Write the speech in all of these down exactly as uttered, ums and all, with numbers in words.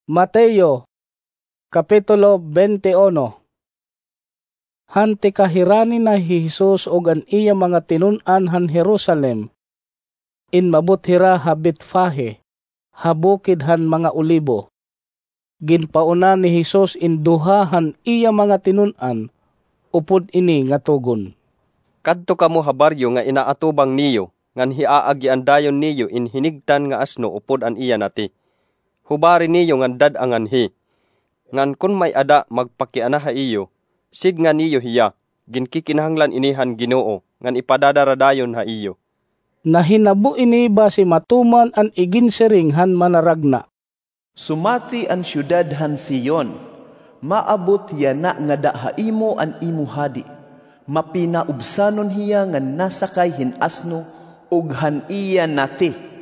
Mateo, Kapitulo twenty-one. Han tikahirani na hi Jesus ug an iya mga tinun-an han Jerusalem, inmabot hira ha Betfage, ha bukid han mga Olibo. Ginpauna ni Jesus in duha han iya mga tinun-an, upod ini nga tugon, "Kadto kamo ha baryo nga inaatubang niyo, ngan hiaagian dayon niyo in hinigtan nga asno upod an iya nati. Hubari niyo ngan dad-a nganhi. Ngan kon may-ada magpakiana ha iyo, sidnga niyo hiya, ginkikinahanglan ini han Ginoo, ngan ipadadara dayon ha iyo." Nahinabo ini basi matuman an iginsiring han Manaragna, "Sumati an syudad han Sion, maabot yana ngada ha imo an imo hadi. Mapinaubsanon hiya nga nasakay hin asno ug han iya nati."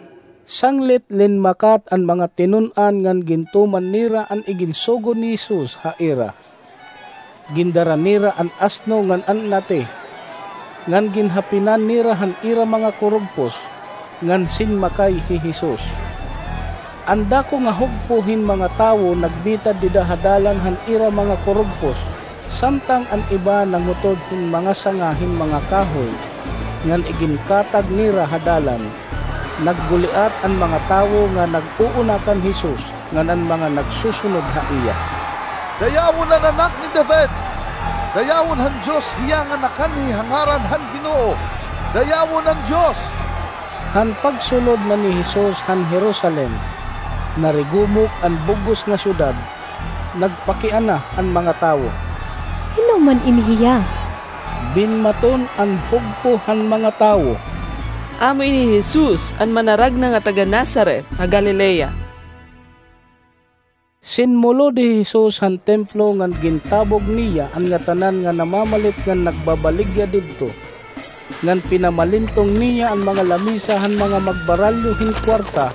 Sanglit linmakat an mga tinun-an ngan gintuman nira an iginsugo ni Jesus ha ira. Gindara nira an asno ngan an nati, ngan ginhapinan nira han ira mga kurugpos, ngan sinmakay hi Jesus. An dako nga hugpo hin mga tawo nagbitad dida ha dalan han ira mga kurugpos, samtang an iba nangutod hin mga sanga hin mga kahoy, ngan iginkatag nira ha dalan. Nagguliat an mga tawo nga nag-uuna kan Jesus, ngan an mga nagsusunod ha iya, "Dayawon an Anak ni David! Dayawon han Dios hiya nga nakanhi ha ngaran han Ginoo! Dayawon an Dios!" Han pagsulod na ni Jesus han Jerusalem, narigumok an bug-os nga syudad, nagpakiana an mga tawo, "Hin-o man ini hiya?" Binmaton an hugpo han mga tawo, "Amo ini hi Jesus, an Manaragna nga taga-Nazaret ha Galilea." Sinmulod hi Jesus han templo ngan gintabog niya an ngatanan nga namamalit ngan nagbabaligya didto, ngan pinamalintong niya an mga lamisa han mga magbaralyo hin kuwarta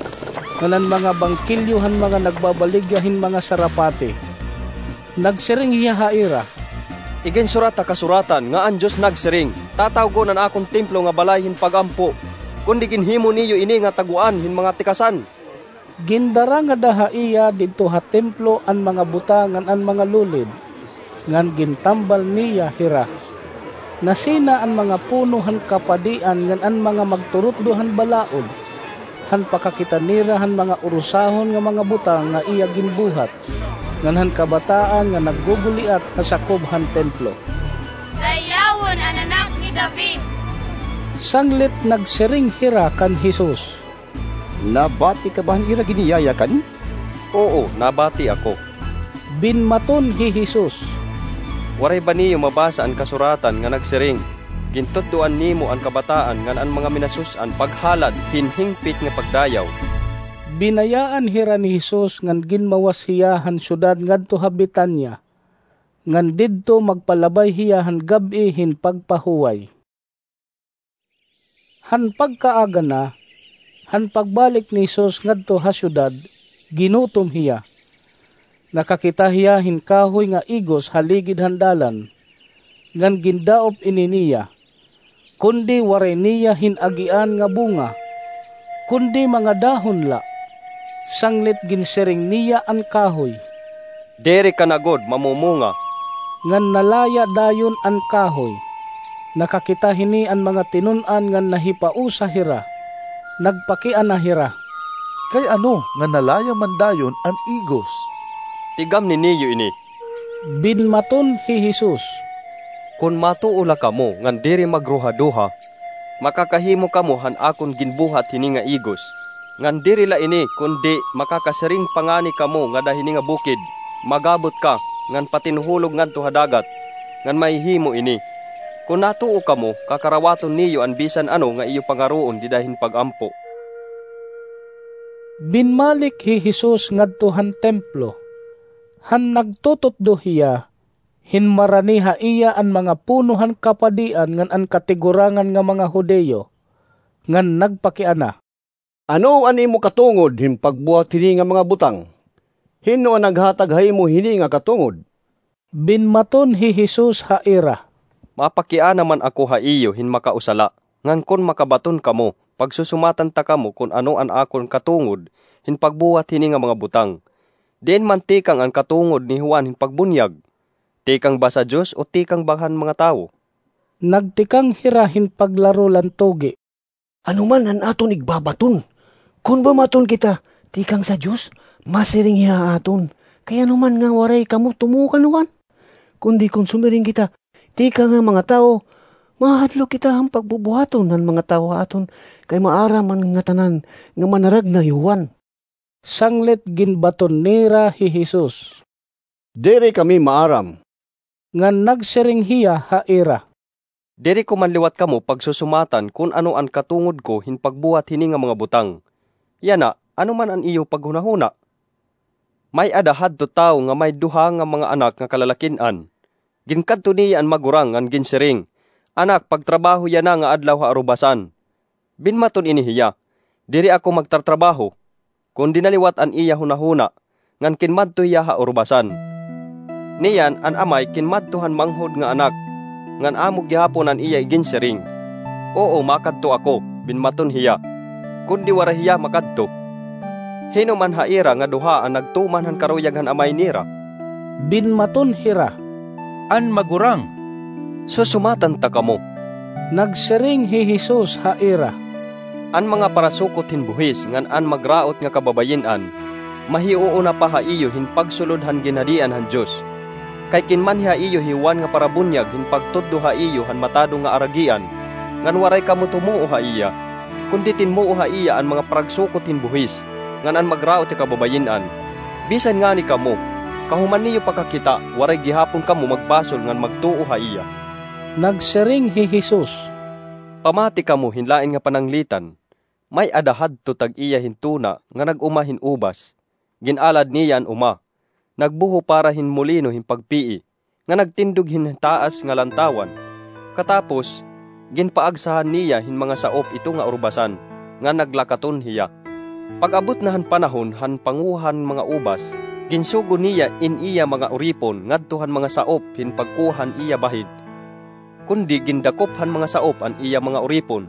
ngan an mga bangkilyo han mga nagbabaligya hin mga sarapati. Nagsiring hiya ha ira, "Iginsurat ha Kasuratan nga an Dios nagsiring, 'Tatawgon an akon templo nga balay hin pag-ampo,' kundi ginhimo niyo ini nga taguan hin mga tikasan." Gindara ngada ha iya didto ha templo an mga buta ngan an mga lulid, ngan gintambal niya hira. Nasina an mga puno han kapadian ngan an mga magturutdo han balaod, han pakakita nira han mga urusahon nga mga butang nga iya ginbuhat, ngan han kabataan nga nagguguliat ha sakob han templo, "Dayawon an Anak ni David!" Sanglit nagsiring hira kan Jesus, "Nabati ka ba han ira giniyayakan?" "Oo, nabati ako." Binmaton hi Jesus, "Waray ba niyo mabasa an Kasuratan nga nagsiring, 'Gintutdoan nimo an kabataan ngan an mga minasus-an paghalad hin hingpit nga pagdayaw'?" Binayaan hira ni Jesus ngan ginmawas hiya han syudad ngadto ha Betania, ngan didto magpalabay hiya han gab-i hin pagpahuway. Han pagkaaga na, han pagbalik ni Jesus ngadto ha syudad, ginutom hiya. Nakakita hiya hin kahoy nga igos ha ligid han dalan, ngan gindaop ini niya, kundi waray niya hin-agian nga bunga, kundi mga dahon la. Sanglit ginsiring niya an kahoy, "Diri ka na gud mamumunga." Ngan nalaya dayon an kahoy. Nakakita hini an mga tinun-an ngan nahipausa hira. Nagpakiana hira, "Kay ano nga nalaya man dayon an igos?" "Tigamni niyo ini," binmaton hi Jesus. "Kon matuo la kamo ngan diri magruhaduha, makakahimo kamo han akon ginbuhat hini nga igos. Ngan diri la ini, kundi makakasiring pa ngani kamo ngada hini nga bukid, 'Mag-abot ka, ngan patinuhulog ngadto ha dagat,' ngan mahihimo ini. Kon natuo kamo, kakarawaton niyo an bisan ano nga iyo pangaroon dida hin pag-ampo." Binmalik hi Jesus ngadto han templo. Han nagtututdo hiya, hinmarani ha iya an mga puno han kapadian ngan an katigurangan nga mga Judio, ngan nagpakiana, "Ano an imo katungod hin pagbuhat hini nga mga butang? Hin-o an naghatag ha imo hini nga katungod?" Binmaton hi Jesus ha ira, "Mapakiana man ako ha iyo hin makausa la, ngan kon makabaton kamo, pagsusumatan ta kamo kon ano an akon katungod hin pagbuhat hini nga mga butang. Diin man tikang an katungod ni Juan hin pagbunyag? Tikang ba sa Dios o tikang ba han mga tawo? Nagtikang hira hin paglaro lan tugi. Ano man an aton igbabaton? Kon bumaton kita, tikang sa Dios, masiring hiya ha aton. Kay ano man nga waray kamo tumuo kan Juan? Kundi kon sumiring kita, tikang han mga tawo, mahadlok kita han pagbubuhaton han mga tawo ha aton, kay maaram an ngatanan nga manaragna hi Juan. Sanglit ginbaton nira hi Jesus. Diri kami maaram. Ngan nagsiring hiya ha ira. Diri ko man liwat kamo pagsusumatan kon ano an katungod ko hin pagbuhat hini nga mga butang. Yana, ano man an iyo paghunahuna? May-ada hadto tawo nga may duha nga mga anak nga kalalakin-an. Ginkadto niya an magurang ngan ginsiring, "Anak, pagtrabaho yana nga adlaw ha arubasan." Binmaton ini hiya, "Diri ako magtartrabaho." Kundi naliwat an iya hunahuna, ngan kinmadto hiya ha urubasan. Niyan an amay kinmadto han manghod nga anak, ngan amo gihapon an iya iginsiring. "Oo, makadto ako," binmaton hiya. Kundi waray hiya makadto. Hin-o man ha ira nga duha an nagtuman han karuyag han amay nira? Binmaton hira, "An magurang." "Susumatan ta kamo." Nagsiring hi Jesus ha ira, "An mga parasukot hin buhis ngan an magraot nga kababayin-an, mahiuuna pa ha iyo hin pagsulod han ginhadian han Dios. Kay kinmanhi ha iyo hi Juan nga parabunyag hin pagtudlo ha iyo han matadong nga aragian, ngan waray kamo tumuo ha iya. Kundi tinmuo ha iya an mga paragsukot hin buhis ngan an magraot nga kababayin-an. Bisan ngani kamo, kahuman niyo pakakita, waray gihapon kamo magbasol ngan magtuo ha iya." Nagsiring hi Jesus, "Pamati kamo hin lain nga pananglitan. May-ada hadto tag-iya hin tuna nga nag-uma hin ubas. Gin-alad niya an uma, nagbuho para hin molino hin pagpii, nga nagtindog hin taas nga lantawan. Katapos, ginpaagsahan niya hin mga saop ito nga urubasan, nga naglakaton hiya. Pag-abot na han panahon han panguha han mga ubas, ginsugo niya in iya mga uripon ngadto han mga saop hin pagkuha han iya bahid. Kundi gindakop han mga saop an iya mga uripon.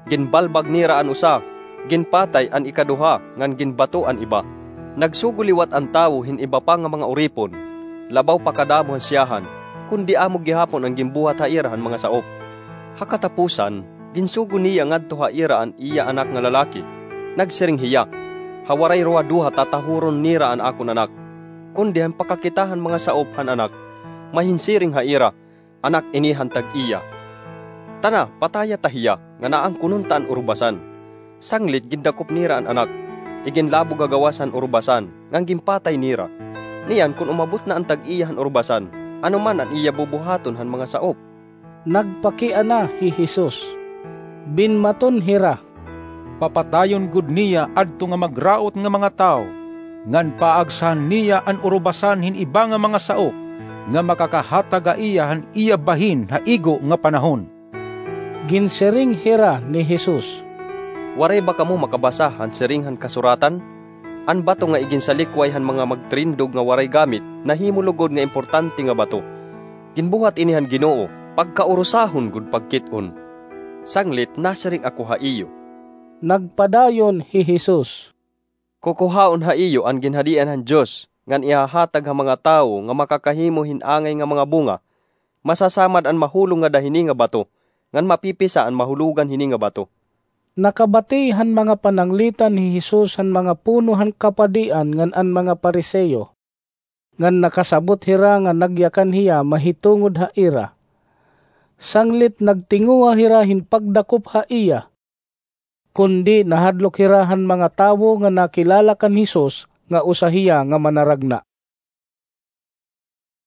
Ginbalbag nira an usa, ginpatay an ikaduha, ngan ginbato an iba. Nagsugo liwat an tawo hin iba pa nga mga uripon, labaw pa kadamo han siyahan, kundi amo gihapon an ginbuhat ha ira han mga saop. Ha katapusan, ginsugo niya ngadto ha ira an iya anak nga lalaki. Nagsiring hiya, 'Ha waray ruwa duha tatahuron nira an akon anak.' Kundi han pakakita han mga saop han anak, mahinsiring ha ira, 'Anak ini han tag-iya. Tana, pataya ta hiya, ngan aangkonon ta an urubasan.' Sanglit gindakop nira an anak, iginlabog ha gawas han urubasan, ngan ginpatay nira. Niyan kon umabot na an tag-iya han urubasan, ano man an iya bubuhaton han mga saop?" Nagpakiana hi Jesus. Binmaton hira, "Papatayon gud niya adto nga magraot nga mga tawo, ngan paagsahan niya an urubasan hin iba nga mga saop nga makakahatag ha iya han iya bahin ha igo nga panahon." Ginsiring hira ni Jesus, "Waray ba kamo makabasa han siring han kasuratan? 'An bato nga iginsalikway han mga magtirindog nga waray gamit nahimo lugod nga importante nga bato.' Ginbuhat ini han Ginoo, pagkaurusahon gud pagkit-on. Sanglit nasiring ako ha iyo." Nagpadayon hi Jesus, "Kukuhaon ha iyo an ginhadian han Dios ngan ihahatag ha mga tawo nga makakahimo hin angay nga mga bunga. Masasamad an mahulog ngada hini nga bato, ngan mapipisa an mahulogan hini nga bato." Nakabati han mga pananglitan hi Jesus han mga puno han kapadian ngan an mga Fariseo, ngan nakasabot hira nga nagyakan hiya mahitungod ha ira. Sanglit nagtinguha hira hin pagdakop ha iya. Kundi nahadlok hira han mga tawo nga nakilala kan Jesus nga usa hiya nga manaragna.